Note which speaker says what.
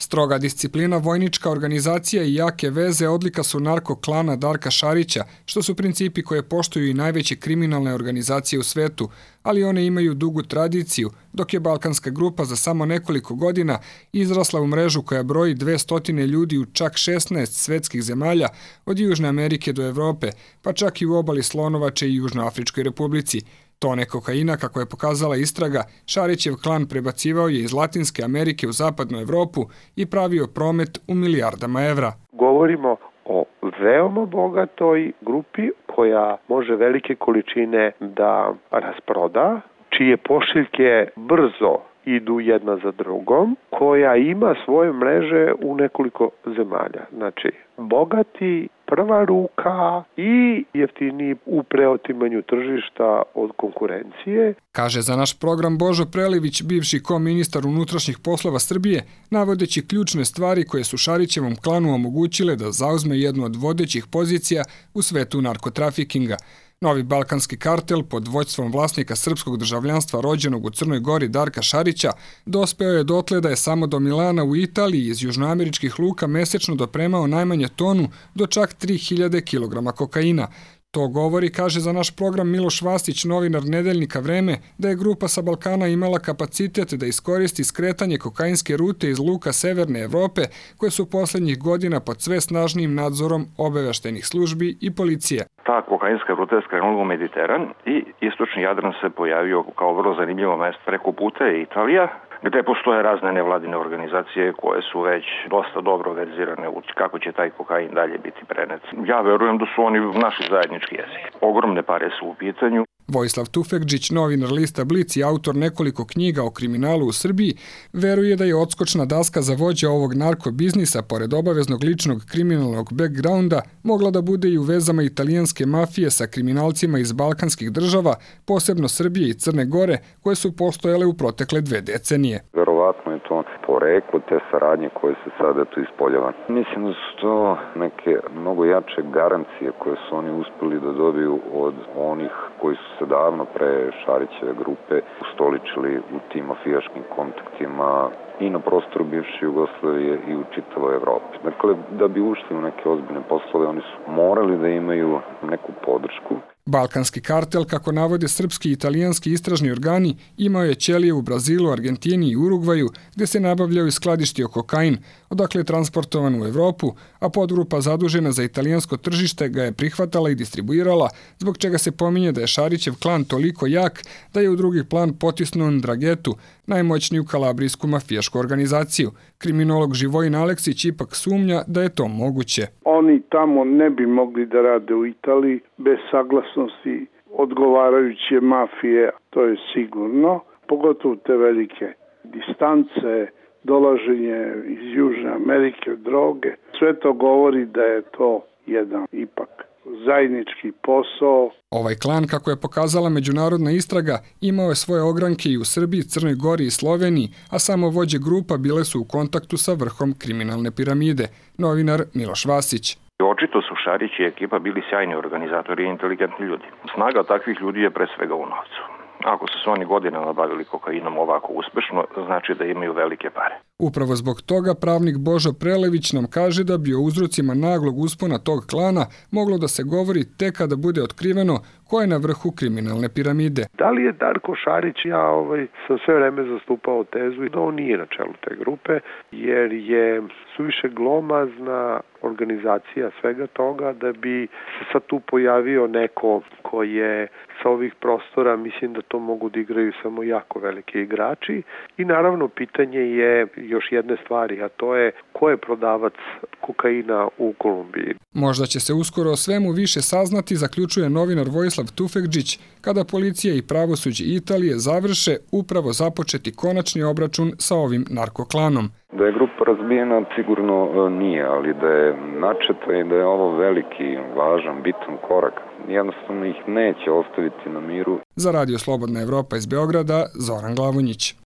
Speaker 1: Stroga disciplina, vojnička organizacija i jake veze odlika su narko-klana Darka Šarića, što su principi koje poštuju i najveće kriminalne organizacije u svetu, ali one imaju dugu tradiciju, dok je balkanska grupa za samo nekoliko godina izrasla u mrežu koja broji 200 ljudi u čak 16 svetskih zemalja, od Južne Amerike do Evrope, pa čak i u obali Slonovače i Južnoafričkoj republici. Tone kokaina, kako je pokazala istraga, Šarićev klan prebacivao je iz Latinske Amerike u zapadnu Evropu i pravio promet u milijardama evra.
Speaker 2: Govorimo o veoma bogatoj grupi koja može velike količine da rasproda, čije pošiljke brzo idu jedna za drugom, koja ima svoje mreže u nekoliko zemalja. Znači, bogati, prva ruka i jeftiniji u preotimanju tržišta od konkurencije.
Speaker 1: Kaže za naš program Božo Prelević, bivši koministar unutrašnjih poslova Srbije, navodeći ključne stvari koje su Šarićevom klanu omogućile da zauzme jednu od vodećih pozicija u svetu narkotrafikinga. Novi balkanski kartel pod vođstvom vlasnika srpskog državljanstva rođenog u Crnoj Gori Darka Šarića dospeo je dotle da je samo do Milana u Italiji iz južnoameričkih luka mesečno dopremao najmanje tonu do čak 3000 kg kokaina. To govori, kaže za naš program Miloš Vasić, novinar nedeljnika Vreme, da je grupa sa Balkana imala kapacitet da iskoristi skretanje kokainske rute iz luka Severne Evrope, koje su poslednjih godina pod sve snažnijim nadzorom obaveštajnih službi i policije.
Speaker 3: Ta kokainska ruta je skrenula u Mediteran i istočni Jadran se pojavio kao vrlo zanimljivo mesto. Preko puta je Italija, gde postoje razne nevladine organizacije koje su već dosta dobro verzirane u kako će taj kokain dalje biti prenet. Ja verujem da su oni naši zajednički jezik. Ogromne pare su u pitanju.
Speaker 1: Vojislav Tufekđić, novinar lista Blic i autor nekoliko knjiga o kriminalu u Srbiji, veruje da je odskočna daska za vođa ovog narkobiznisa, pored obaveznog ličnog kriminalnog backgrounda, mogla da bude i u vezama italijanske mafije sa kriminalcima iz balkanskih država, posebno Srbije i Crne Gore, koje su postojale u protekle 2 decenije.
Speaker 4: Verovatno je to poreklo te saradnje koje se sada tu ispoljava. Mislim da su to neke mnogo jače garancije koje su oni uspeli da dobiju od onih koji su se davno pre Šarićeve grupe ustoličili u tim mafijaškim kontaktima i na prostoru bivše Jugoslavije i u čitavoj Evropi. Dakle, da bi ušli u neke ozbiljne poslove, oni su morali da imaju neku podršku.
Speaker 1: Balkanski kartel, kako navode srpski i italijanski istražni organi, imao je ćelije u Brazilu, Argentini i Urugvaju, gde se nabavljao i skladištio kokain, odakle je transportovan u Evropu, a podgrupa zadužena za italijansko tržište ga je prihvatala i distribuirala, zbog čega se pominje da je Šarićev klan toliko jak da je u drugi plan potisnuo Ndrangetu, najmoćniju kalabrijsku mafijašku organizaciju. Kriminolog Živojin Aleksić ipak sumnja da je to moguće.
Speaker 5: Oni tamo ne bi mogli da rade u Italiji bez saglasnosti odgovarajuće mafije, to je sigurno, pogotovo te velike distance, dolaženje iz Južne Amerike, droge. Sve to govori da je to jedan ipak zajednički posao.
Speaker 1: Ovaj klan, kako je pokazala međunarodna istraga, imao je svoje ogranke i u Srbiji, Crnoj Gori i Sloveniji, a samo vođe grupa bile su u kontaktu sa vrhom kriminalne piramide. Novinar Miloš Vasić.
Speaker 3: Očito su Šarić i ekipa bili sjajni organizatori i inteligentni ljudi. Snaga takvih ljudi je pre svega u novcu. Ako su se oni godinama bavili kokainom ovako uspešno, znači da imaju velike pare.
Speaker 1: Upravo zbog toga pravnik Božo Prelević nam kaže da bi o uzrocima naglog uspona tog klana moglo da se govori tek kada bude otkriveno ko je na vrhu kriminalne piramide.
Speaker 2: Da li je Darko Šarić, ja sam sve vreme zastupao tezu da on nije na čelu te grupe, jer je suviše glomazna organizacija svega toga da bi se sad tu pojavio neko ko je sa ovih prostora, mislim da to mogu da igraju samo jako veliki igrači. I naravno pitanje je još jedne stvari, a to je ko je prodavac kokaina u Kolumbiji.
Speaker 1: Možda će se uskoro o svemu više saznati, zaključuje novinar Vojislav Tufekđić, kada policija i pravosuđe Italije završe upravo započeti konačni obračun sa ovim narkoklanom.
Speaker 4: Da je grupa razbijena sigurno nije, ali da je načeta i da je ovo veliki, važan, bitan korak. Jednostavno ih neće ostaviti na miru.
Speaker 1: Za Radio Slobodna Evropa iz Beograda, Zoran Glavonjić.